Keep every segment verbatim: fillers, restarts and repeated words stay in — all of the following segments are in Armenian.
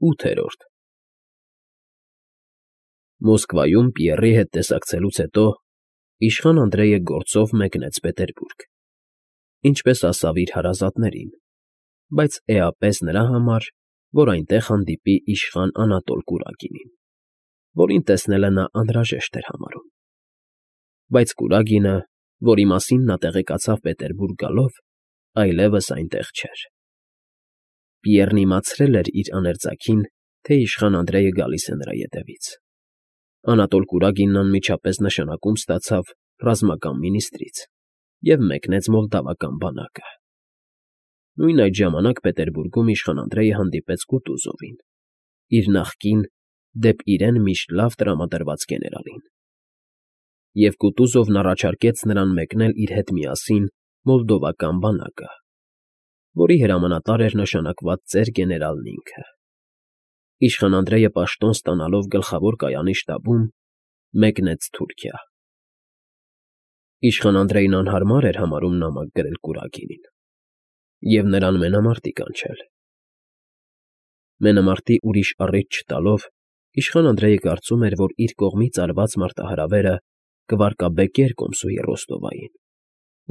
ՈՒԹԵՐՈՐԴ Մոսկվայում Պիեռի հետ տեսակցելուց հետո իշխան Անդրեյը գործով մեկնեց Պետերբուրգ, ինչպես ասավ իր հարազատներին, բայց էապես նրա համար, որ այնտեղ հանդիպի իշխան Անատոլ Կուրագինին, որին տեսնելը նա անհրաժեշտ էր համարում. բայց Կուրագինը, որի մասին նա տեղեկացավ Պետերբուրգ գալով, այլևս այնտեղ չէր։ Պիեռն իմացրել էր իր աներձակին, թե իշխան Անդրեյը գալիս է նրա ետևից։ Անատոլ Կուրագինն անմիջապես նշանակում ստացավ ռազմական մինիստրից և մեկնեց մոլդավական բանակը։ Նույն այդ ժամանակ Պետերբուրգում իշխան Անդրեյը հանդիպեց Կուտուզովին, իր նախկին, դեպ իրեն միշտ լավ տրամադրված գեներալին։ Եվ Կուտուզովն առաջարկեց նրան մեկնել իր հետ միասին մոլդովական բանակը, որի հրամանատար էր նշանակված ծեր գեներալն ինքը։ Իշխան Անդրեյը պաշտոն ստանալով գլխավոր կայանի շտաբում, մեկնեց Թուրքիա։ Իշխան Անդրեյն անհարմար էր համարում նամակ գրել Կուրագինին և նրան մենամարտի կանչել։ Մենամարտի ուրիշ առիթ չտալով, իշխան Անդրեյը կարծում էր, որ իր կողմից արված մարտահրավերը կվարկաբեկեր կոմսուի Ռոստովային,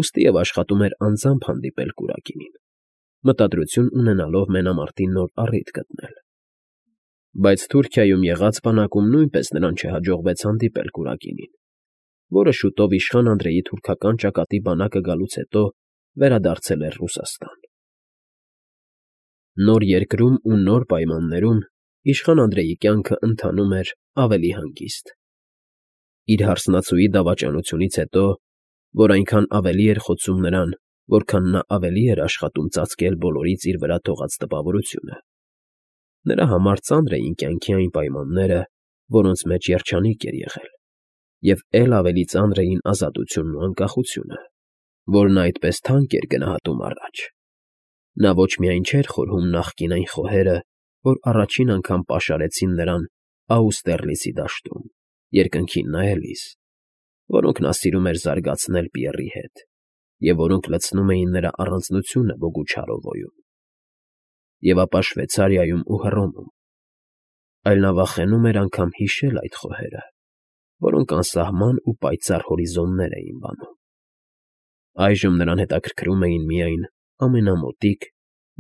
ուստի և աշխատում էր անձամբ հանդիպել Կուրագինին, մտադրություն ունենալով մենամարտի նոր առիթ գտնել։ Բայց Թուրքիայում եղած բանակում նույնպես նրան չհաջողվեց հանդիպել Կուրագինին, որը շուտով իշխան Անդրեյի թուրքական ճակատի բանակը գալուց հետո վերադարձել էր Ռուսաստան։ Նոր երկրում ու նոր պայմաններում իշխան Անդրեյի կյանքը ընթանում էր ավելի հանգիստ։ Իր հարսնացուի դավաճանությունից հետո, որ այնքան ավելի էր խոցում նրան, որքան նա ավելի էր աշխատում ծածկել բոլորից իր վրա թողած տպավորությունը, նրա համար ծանր էին կյանքի այն պայմանները, որոնց մեջ երջանիկ էր եղել, և էլ ավելի ծանր էին ազատությունն ու անկախությունը, որ նա այդպես թանկ էր գնահատում առաջ։ Նա ոչ միայն չէր խորհում նախկին այն խոհերը, որ առաջին անգամ պաշարեցին նրան Աուստերլիցի դաշտում, երկնքին նայելիս, որոնք նա սիրում էր զարգացնել Պիեռի հետ, և որոնք լցնում էին նրա առանձնությունը Բոգուչարովոյում, և ապա Շվեյցարիայում ու Հռոմում, այլ նա վախենում էր անգամ հիշել այդ խոհերը, որոնք անսահման ու պայծառ հորիզոններ էին բանում։ Այժմ նրան հետաքրքրում էին միայն ամենամոտիկ,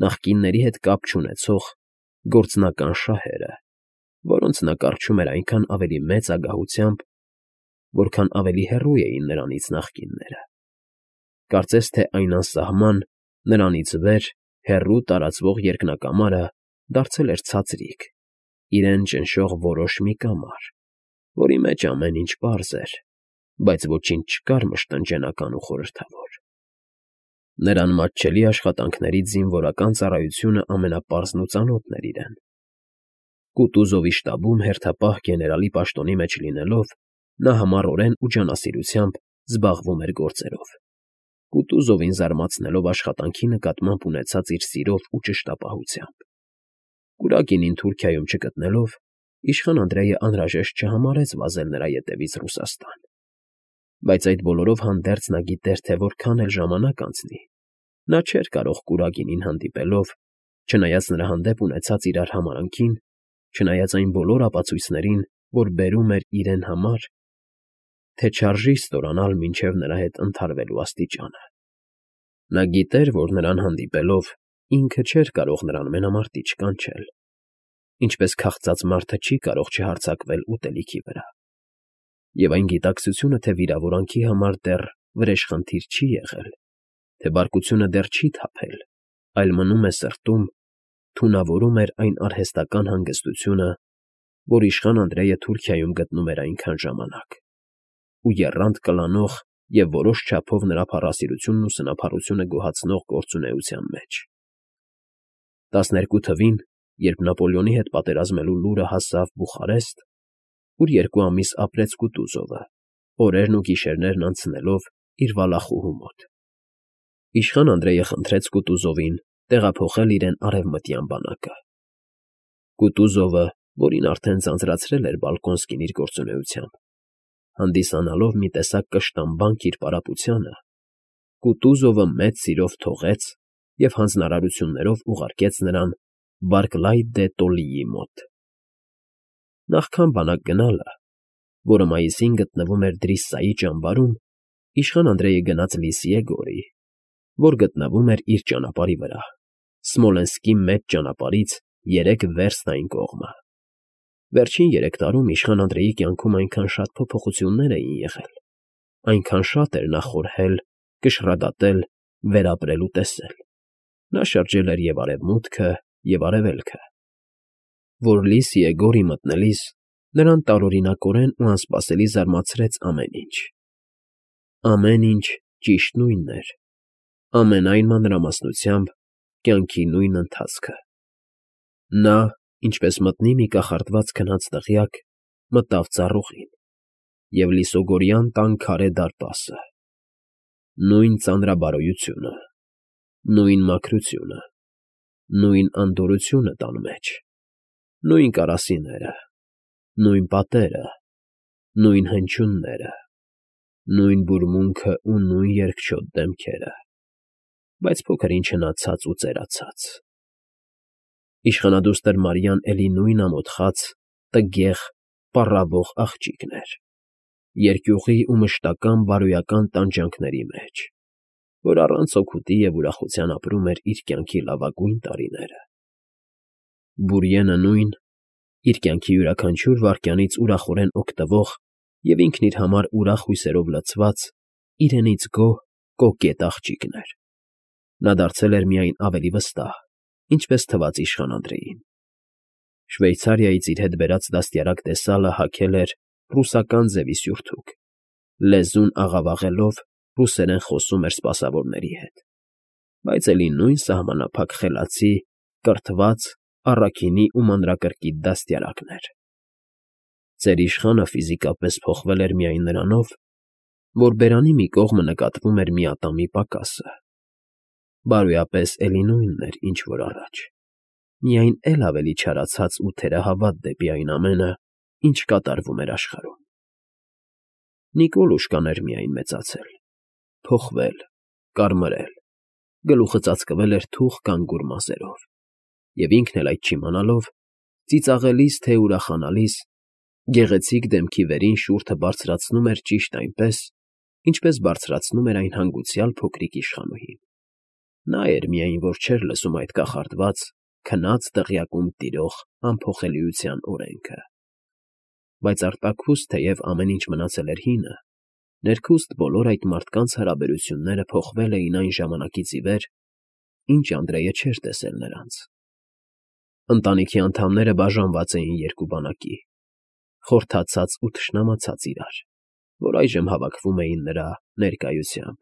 նախկինների հետ կապ չունեցող գործնական շահերը, որոնց նա կառչում էր այնքան ավելի մեծ ագահությամբ, որքան ավելի հեռու էին նրանից նախկինները։ Կարծես թե այն անսահման, նրանից վեր, հեռու տարածվող երկնակամարը դարձել էր ցածրիկ, իրեն ճնշող որոշ մի կամար, որի մեջ ամեն ինչ պարզ էր, բայց ոչինչ չկար մշտնջենական ու խորհրդավոր։ Նրան մատչելի աշխատանքներից զինվորական ծառայությունը ամենապարզն ու ծանոթն էր իրեն։ Կուտուզովի շտաբում հերթապահ գեներալի պաշտոնի մեջ լինելով, նա համառորեն ու ջանասիրությամբ զբաղվում էր գործերով, Կուտուզովին զարմացնելով աշխատանքի նկատմամբ ունեցած իր սիրով ու ճշտապահությամբ։ Կուրագինին Թուրքիայում չգտնելով, իշխան Անդրեյը անհրաժեշտ չհամարեց վազել նրա ետևից Ռուսաստան։ Բայց այդ բոլորով հանդերձ նա գիտեր, թե որքան էլ ժամանակ անցնի, նա չէր կարող Կուրագինին հանդիպելով, չնայած նրա հանդեպ ունեցած իրար համարանքին, չնայած այն բոլոր ապացույցներին, որ բերում էր իրեն համար, թե չարժի ստորանալ մինչև նրա հետ ընդհարվելու աստիճանը։ Նա գիտեր, որ նրան հանդիպելով ինքը չէր կարող նրան մենամարտի չկանչել, ինչպես քաղցած մարդը չի կարող չհարձակվել ուտելիքի վրա։ Եվ այն գիտակցությունը, թե վիրավորանքի համար դեռ վրեժխնդիր չի եղել, թե բարկությունը դեռ չի թափել, այլ մնում է սրտում, թունավորում էր այն արհեստական հանգստությունը, որ իշխան Անդրեյը Թուրքիայում գտնում էր այնքան ժամանակ, ու եռանդ կլանող և որոշ չափով նրա փառասիրությունն ու սնափառությունը գոհացնող գործունեության մեջ։ Տասներկու թվին, երբ Նապոլեոնի հետ պատերազմելու լուրը հասավ Բուխարեստ, ուր երկու ամիս ապրեց Կուտուզովը, օրերն ու գիշերներն անցնելով իր վալախուհու մոտ, իշխան Անդրեյը խնդրեց Կուտուզովին տեղափոխել իրեն արևմտյան բանակը։ Կուտուզովը, որին արդեն ձանձրացրել էր Բալկոնսկին իր գործունեությամբ, հանդիսանալով մի տեսակ կշտամբանք իր պարապությանը, Կուտուզովը մեծ սիրով թողեց և հանձնարարություններով ուղարկեց նրան Բարկլայ դե Տոլիի մոտ։ Նախքան բանակ գնալը, որը մայիսին գտնվում էր Դրիսսայի ճամբարում, իշխան Անդրեյը գնաց Լիսիե գորի, որ գտնվում էր իր ճանապարհի վրա, Սմոլենսկի մեծ ճանապարհից երեք վերստ այն կողմը։ Վերջին երեք տարում իշխան Անդրեյի կյանքում այնքան շատ փոփոխություններ էին եղել, այնքան շատ էր նա խորհել, կշռադատել, վերապրել ու տեսել։ Նա շրջել էր և արևմուտքը, և արևելքը, որ Լիսիե գորի մտնելիս նրան տարօրինակորեն ու անսպասելի զարմացրեց ամեն ինչ։ Ամեն ինչ ճիշտ նույնն էր, ամենայն մանրամասնությամբ կյանքի նույն ընթացքը։ Նա, ինչպես մտնի մի կախարդված քնած դղյակ, մտավ ծառուղին և լիսոգորյան տան քարե դարպասը։ Նույն ծանրաբարոյությունը, նույն մաքրությունը, նույն անդորրությունը տան մեջ, նույն կարասիները, նույն պատերը, նույն հնչյունները, նույն բուրմունքն ու նույն երկչոտ դեմքերը, բայց փոքր ինչ հնացած ու ծերացած։ Իշխանադուստր Մարիան էլի նույն ամոթխած, տգեղ, պառավող աղջիկն էր, երկյուղի ու մշտական բարոյական տանջանքների մեջ, որ առանց օգուտի և ուրախության ապրում էր իր կյանքի լավագույն տարիները։ Բուրիենը նույն, իր կյանքի յուրաքանչյուր վայրկյանից ուրախորեն օգտվող և ինքն իր համար ուրախ հույսերով լցված, իրենից գոհ, կոկետ աղջիկն էր։ Նա դարձել էր միայն ավելի վստահ, ինչպես թվաց իշխան Անդրեյին։ Շվեյցարիայից իր հետ բերած դաստիարակ տեսալը հագել էր ռուսական ձևի սյուրթուք, լեզուն աղավաղելով ռուսերեն խոսում էր սպասավորների հետ, բայց էլի նույն սահմանափակ խելացի, կրթված, առաքինի ու մանրակրկիտ դաստիարակն էր։ Ծեր իշխանը ֆիզիկապես փոխվել էր միայն նրանով, որ բերանի մի կողմը նկատվում էր մի ատամի պակասը։ Բարոյապես էլի նույնն էր, ինչ որ առաջ, միայն էլ ավելի չարացած ու թերահավատ դեպի այն ամենը, ինչ կատարվում էր աշխարհում։ Նիկոլուշկան էր միայն մեծացել, փոխվել, կարմրել, գլուխը ծածկվել էր թուխ կանգուր մազերով, և ինքն էլ այդ չիմանալով, ծիծաղելիս թե ուրախանալիս, գեղեցիկ դեմքի վերին շուրթը բարձրացնում էր ճիշտ այնպես, ինչպես բարձրացնում էր այն հանգուցյալ փոքրիկ իշխանուհին։ Նա էր միայն, որ չէր լսում այդ կախարդված, քնած դղյակում տիրող անփոխելիության օրենքը։ Բայց արտաքուստ, թեև ամեն ինչ մնացել էր հինը, ներքուստ բոլոր այդ մարդկանց հարաբերությունները փոխվել էին այն ժամանակից ի վեր, ինչ Անդրեյը չէր տեսել նրանց։ Ընտանիքի անդամները բաժանված էին երկու բանակի, խորթացած ու թշնամացած իրար, որ այժմ հավաքվում էին նրա ներկայությամբ,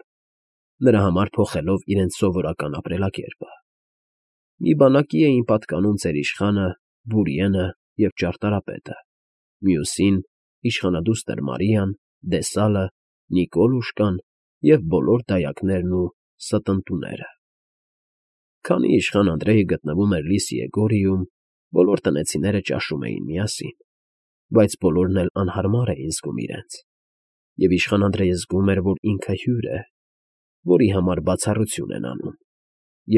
նրա համար փոխելով իրենց սովորական ապրելակերպը։ Մի բանակի էին պատկանում ծեր իշխանը, Բուրիենը և ճարտարապետը, մյուսին՝ իշխանադուստր Մարիան, դեսալը, Նիկոլուշկան և բոլոր դայակներն ու ստընտուները։ Քանի իշխան Անդրեյը գտնվում էր Լիսիե գորիում, բոլոր տնեցիները ճաշում էին միասին, բայց բոլորն էլ անհարմար էին զգում իրենց, և իշխան Անդրեյը զգում էր, որ ինքը հյուր է, որի համար բացառություն են անում,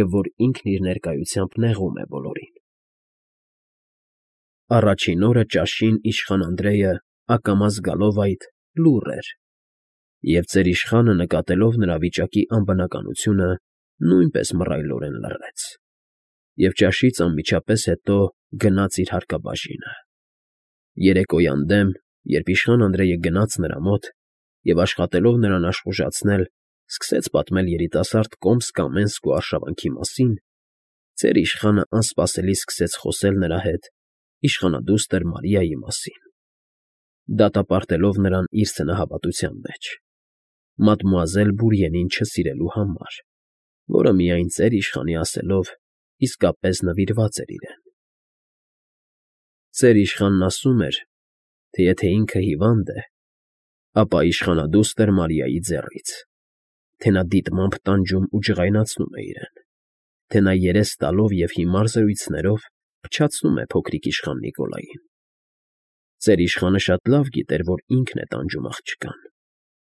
և որ ինքն իր ներկայությամբ նեղում է բոլորին։ Առաջին օրը ճաշին իշխան Անդրեյը, ակամա զգալով այդ, լուռ էր, և ծեր իշխանը, նկատելով նրա վիճակի անբնականությունը, նույնպես մռայլորեն լռեց, և ճաշից անմիջապես հետո գնաց իր հարկաբաժինը։ Երեկոյան դեմ, երբ իշխան Անդրեյը գնաց նրա մոտ և աշխատելով նրան աշխուժացնել, սկսեց պատմել երիտասարդ Կոմսկ Կամենսկու արշավանքի մասին, ծեր իշխանը անսպասելի սկսեց խոսել նրա հետ իշխանադուստր Մարիայի մասին, դատապարտելով նրան իր սնահավատության մեջ, մադմուազել Բուրիենին չսիրելու համար, որը միայն ծեր իշխանի ասելով իսկապես նվիրված էր իրեն։ Ծեր իշխանն ասում էր, թե եթե ինքը հիվանդ է, ապա իշխանադուստր Մարիայի ձեռից, թե նա դիտմամբ տանջում ու ջղայնացնում է իրեն, թե նա երես տալով և հիմար զրույցներով փչացնում է փոքրիկ իշխան Նիկոլային։ Ծեր իշխանը շատ լավ գիտեր, որ ինքն է տանջում աղջկան,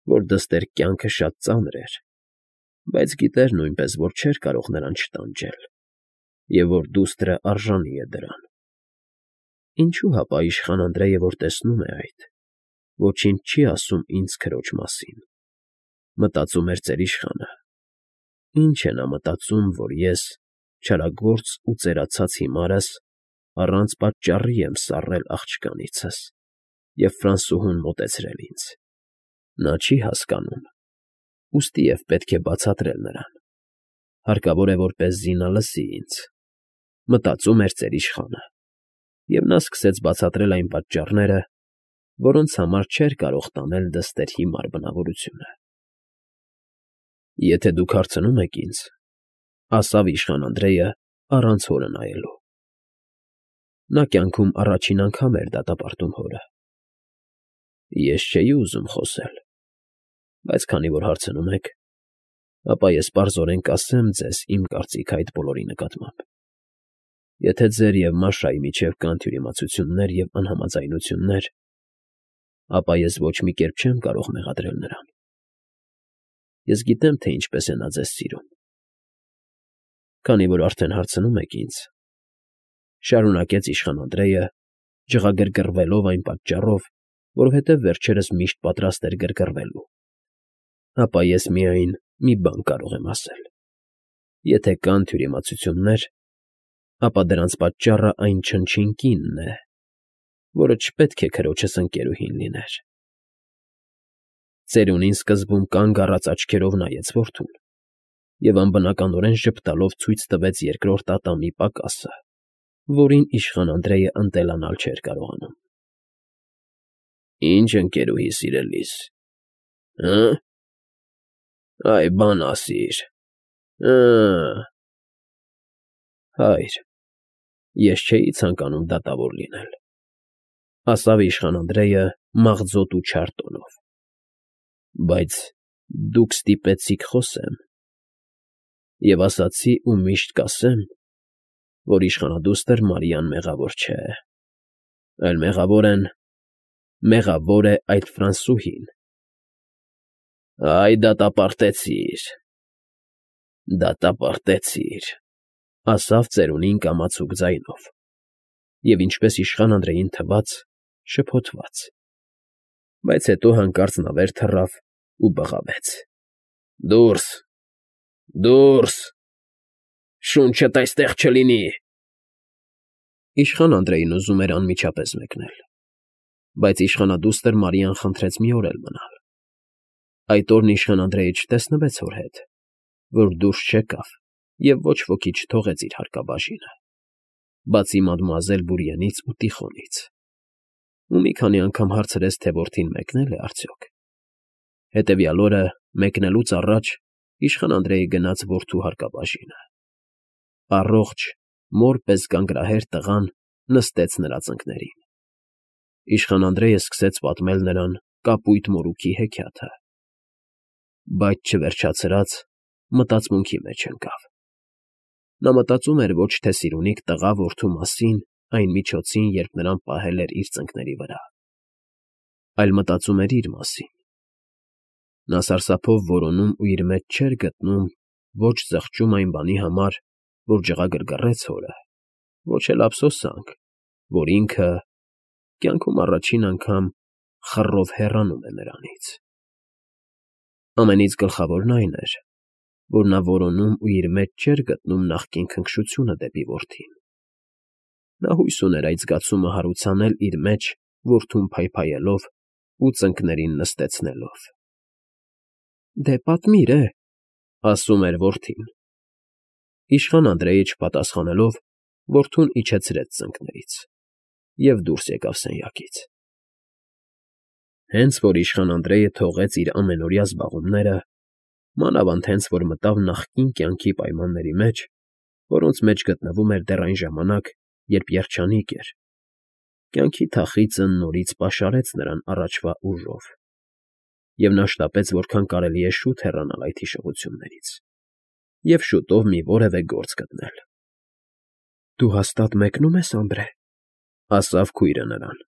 որ դստեր կյանքը շատ ծանր էր, բայց գիտեր նույնպես, որ չէր կարող նրան չտանջել, և որ դուստրը արժանի է դրան։ Ինչու՞ հապա իշխան Անդրեյը, որ տեսնում է այդ, ոչինչ չի ասում ինձ քրոջ մասին, մտածում էր ծերիշխանը։ Ինչ է նա մտածում, որ ես, չարագործ ու ծերացած հիմարս, առանց պատճառի եմ սառել աղջկանիցս և Ֆրանսուհուն մոտեցրել ինձ։ Նա չի հասկանում, ուստի և պետք է բացատրել նրան, հարկավոր է, որպեսզի նա լսի ինձ, մտածում էր ծերիշխանը, և նա սկսեց բացատրել այն պատճառները, որոնց համար չէր կարող տանել դստեր հիմար բնավորությունը։ Եթե դուք հարցնում եք ինձ, ֊ ասավ իշխան Անդրեյը առանց հորը նայելու. նա կյանքում առաջին անգամ էր դատապարտում հորը, ես չէի ուզում խոսել, բայց քանի որ հարցնում եք, ապա ես պարզորեն կասեմ ձեզ իմ կարծիքը այդ բոլորի նկատմամբ։ Եթե ձեր և Մաշայի միջև կան թյուրիմացություններ և անհամաձայնություններ, ապա ես ոչ մի կերպ չեմ կարող մեղադրել նրան։ Ես գիտեմ, թե ինչպես է նա ձեզ սիրում։ Քանի որ արդեն հարցնում եք ինձ, ֊ շարունակեց իշխան Անդրեյը, ջղագրգռվելով այն պատճառով, որովհետև վերջերս միշտ պատրաստ էր գրգռվելու, ֊ ապա ես միայն մի բան կարող եմ ասել. եթե կան թյուրիմացություններ, ապա դրանց պատճառը այն չնչին կինն է, որը չպետք է քրոջս ընկերուհին լիներ։ Ծերունին սկզբում կանգ առած աչքերով նայեց որդուն և անբնականորեն ժպտալով ցույց տվեց երկրորդ ատամի պակասը, որին իշխան Անդրեյը ընտելանալ չէր կարողանում։ Ի՞նչ ընկերուհի, սիրելիս, հը՞։ Այ բան ասիր, հը՞։ Հայր, ես չէի ցանկանում դատավոր լինել, ֊ ասավ իշխան Անդրեյը մաղձոտ ու չար տոնով, ֊ բայց դուք ստիպեցիք խոսեմ, և ասացի ու միշտ կասեմ, որ իշխանադուստր Մարիան մեղավոր չէ, այլ մեղավոր են… մեղավոր է այդ Ֆրանսուհին։ Այ դատապարտեցիր, դատապարտեցիր, ֊ ասավ ծերունին կամացուկ ձայնով և, ինչպես իշխան Անդրեյին թվաց, շփոթված, բայց հետո հանկարծ նավեր թռավ ու բղավեց. Դուրս… դուրս… շունչդ այստեղ չլինի… Իշխան Անդրեյն ուզում էր անմիջապես մեկնել, բայց իշխանադուստր Մարիան խնդրեց մի օր էլ մնալ։ Այդ օրն իշխան Անդրեյը չտեսնվեց հոր հետ, որ դուրս չեկավ և ոչ ոքի չթողեց իր հարկաբաժինը, բացի մադմուազել Բուրիենից ու Տիխոնից, ու մի քանի անգամ հարցրեց, թե որդին մեկնե՞լ է արդյոք։ Հետևյալ օրը, մեկնելուց առաջ, իշխան Անդրեյը գնաց որդու հարկաբաժինը։ Առողջ, մոր պես գանգրահեր տղան նստեց նրա ծնկներին։ Իշխան Անդրեյը սկսեց պատմել նրան կապույտ մորուքի հեքիաթը, բայց չվերջացրած, մտածմունքի մեջ ընկավ։ Նա մտածում էր ոչ թե սիրունիկ տղա֊որդու մասին այն միջոցին, երբ նրան պահել էր իր ծնկների վրա, այլ մտածում էր իր մասին։ Նա սարսափով որոնում ու իր մեջ չէր գտնում ոչ զղջում այն բանի համար, որ ջղագրգռեց հորը, ոչ էլ ափսոսանք, որ ինքը կյանքում առաջին անգամ խռով հեռանում է նրանից։ Ամենից գլխավորն այն էր, որ նա որոնում ու իր մեջ չէր գտնում նախկին քնքշությունը դեպի որդին։ Նա հույս ուներ այդ զգացումը հարուցանել իր մեջ որդուն փայփայելով ու ծնկներին նստեցնելով։ Դե պատմիր է, ֊ ասում էր որդին։ Իշխան Անդրեյը չպատասխանելով, որդուն իջեցրեց ծնկներից և դուրս եկավ սենյակից։ Հենց որ իշխան Անդրեյը թողեց իր ամենօրյա զբաղումները, մանավանդ հենց որ մտավ նախկին կյանքի պայմանների մեջ, որոնց մեջ գտնվում էր դեռ այն ժամանակ, երբ երջանիկ էր, կյանքի թախիծը նորից պաշարեց նրան առաջվա ուժով, և նա շտապեց որքան կարելի է շուտ հեռանալ այդ հիշողություններից և շուտով մի որևէ գործ գտնել։ ֊ Դու հաստատ մեկնո՞ւմ ես, Անդրե, ֊ ասավ քույրը նրան։ ֊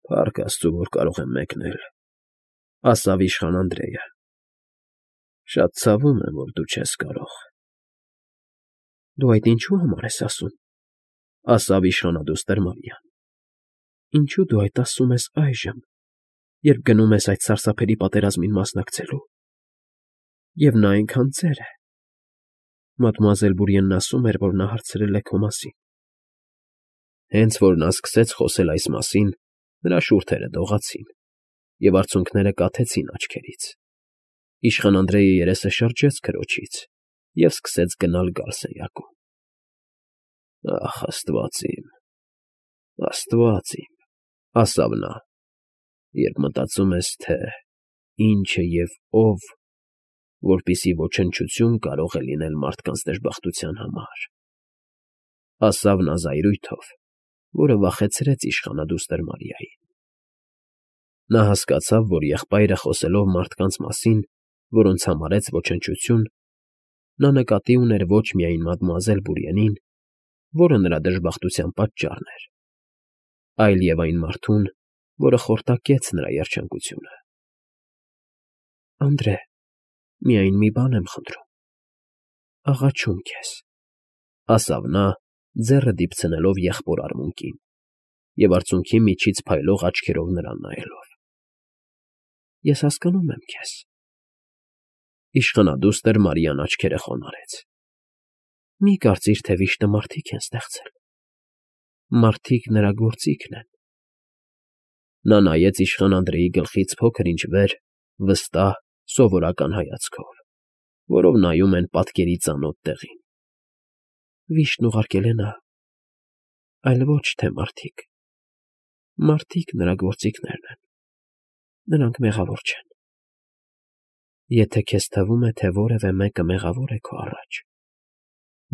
Փառք աստծու, որ կարող եմ մեկնել, ֊ ասավ իշխան Անդրեյը։ Շատ ցավում եմ, որ դու չես կարող։ Դու այդ ինչու համար ես ասում,֊ ասավ իշխանադուստր Մարիան։ Ինչու դու այդ ասում ես այժմ, երբ գնում ես այդ սարսափելի պատերազմին մասնակցելու, և նա այնքան ծեր է… Մադմուազել Բուրիենն ասում էր, որ նա հարցրել է քո մասին… Հենց որ նա սկսեց խոսել այս մասին, նրա շուրթերը դողացին, և արցունքները կաթեցին աչքերից, իշխան Անդրեյը երեսը շրջեց քրոջից և սկսեց գնալ֊գալ սենյակում։ Ախ, աստված իմ, աստված իմ, ասավ նա, երբ մտածում ես, թե ինչ է և ով, որպեսզի ոչնչություն կարող է լինել մարդկանց դժբախտության համար, ասավ նա զայրույթով, որը վախեցրեց իշխանադուստր Մարիային։ Նա հասկացավ, որ եղբայրը խոսելով մարդկանց մասին, որոնց համարեց ոչնչություն, նա նկատի ուներ ոչ միայն մադմուազել Բուրիենին, որը նրա դժբախտության պատճառն էր, այլ և այն մարդուն, որը խորտակեց նրա երջանկությունը։ ֊ Անդրե, միայն մի բան եմ խնդրում, աղաչում քեզ,֊ ասավ նա, ձեռը դիպցնելով եղբոր արմունկին և արցունքի միջից փայլող աչքերով նրան նայելով։ ֊ Ես հասկանում եմ քեզ… Իշխանադուստր Մարիան աչքերը խոնարհեց։ Մի կարծիր, թե վիշտը մարդիկ են ստեղծել… Մարդիկ նրա գործիքն են… Նա նայեց իշխան Անդրեի գլխից փոքր֊ինչ վեր վստահ, սովորական հայացքով, որով նայում են պատկերի ծանոթ տեղին։ Վիշտն ուղարկել է նա, այլ ոչ թե մարդիկ… Մարդիկ նրա գործիքներն են… Նրանք մեղավոր չեն… Եթե քեզ թվում է, թե որևէ մեկը մեղավոր է քո առաջ,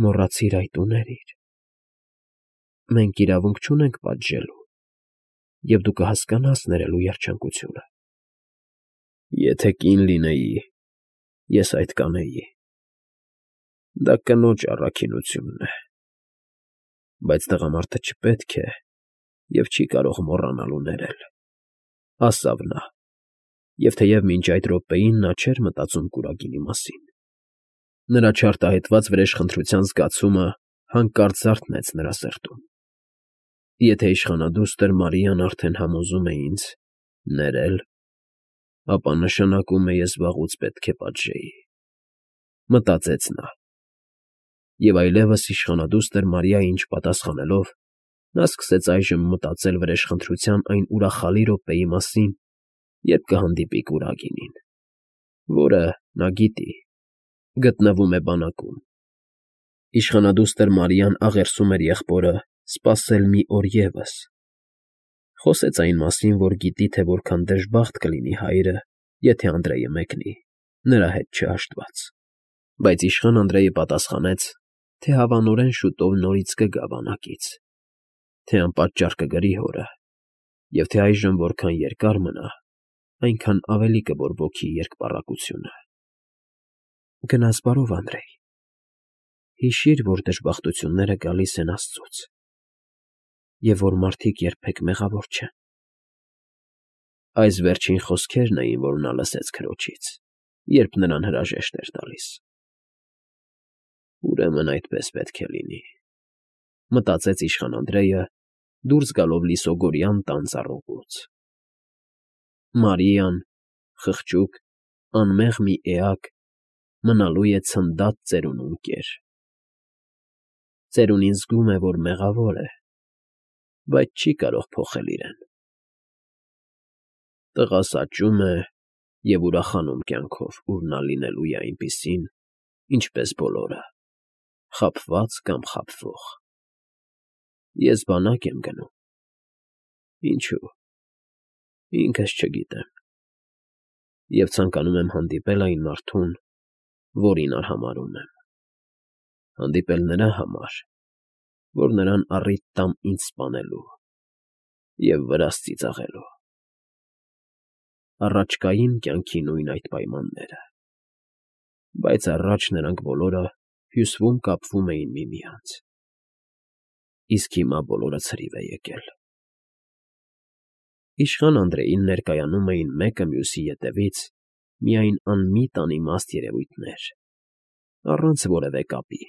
մոռացիր այդ ու ներիր… Մենք իրավունք չունենք պատժելու, և դու կհասկանաս ներելու երջանկությունը… Եթե կին լինեի, ես այդ կանեի… Դա կնոջ առաքինությունն է… Բայց տղամարդը չպետք է և չի կարող մոռանալ ու ներել,֊ ասավ նա, և թեև մինչ այդ րոպեին նա չէր մտածում կուրագինի մասին, նրա չարտահայտված վրեժխնդրության զգացումը հանկարծ զարթնեց նրա սրտում։ Եթե իշխանադուստր Մարիան արդեն համոզում է ինձ ներել, ապա նշանակում է ես վաղուց պետք է պատժեի, մտածեց նա, և այլևս իշխանադուստր Մարիային չպատասխանելով, նա սկսեց այժմ մտածել վրեժխնդրության այն ուրախալի րոպեի մասին, երբ կհանդիպի կուրագինին, որը, նա գիտի, գտնվում է բանակում։ Իշխանադուստր Մարիան աղերսում էր եղբորը սպասել մի օր ևս, խոսեց այն մասին, որ գիտի, թե որքան դժբախտ կլինի հայրը, եթե Անդրեյը մեկնի, նրա հետ չհաշտված, բայց իշխան Անդրեյը պատասխանեց, թե հավանորեն շուտով նորից կգա բանակից, թե անպատճառ կգրի հորը, և թե այժմ որքան երկար մնա, այնքան ավելի կբորբոքի երկպառակությունը։ Գնաս բարով, Անդրեյ, հիշիր, որ դժբախտությունները գալիս են աստծուց, և որ մարդիկ երբեք մեղավոր չեն… Այս վերջին խոսքերն էին, որ նա լսեց քրոջից, երբ նրան հրաժեշտ էր տալիս։ Ուրեմն այդպես պետք է լինի, մտածեց իշխան Անդրեյը, դուրս գալով լիսոգորյան տան ծառուղուց։ Մարիան, խղճուկ, անմեղ մի էակ, մնալու է ցնդած ծերունուն կեր… Ծերունին զգում է, որ մեղավոր է, բայց չի կարող փոխել իրեն… Տղա աճում է և ուրախանում կյանքով, ուր նա լինելու է այնպիսին, ինչպես բոլորը, խաբված կամ խաբվող… Ես բանակ եմ գնում… Ինչո՞ւ… ինքս չգիտեմ… և ցանկանում եմ հանդիպել այն մարդուն, որին արհամարհում եմ… Հանդիպել նրա համար, որ նրան առիթ տամ ինձ սպանելու և վրաս ծիծաղելու… Առաջկային կյանքի նույն այդ պայմանները… Բայց առաջ նրանք բոլորը հյուսվում֊կապվում էին միմյանց… Իսկ հիմա բոլորը ցրիվ է եկել… Իշխան Անդրեին ներկայանում էին մեկը մյուսի ետևից միայն անմիտ անիմաստ երևույթներ, առանց որևէ կապի։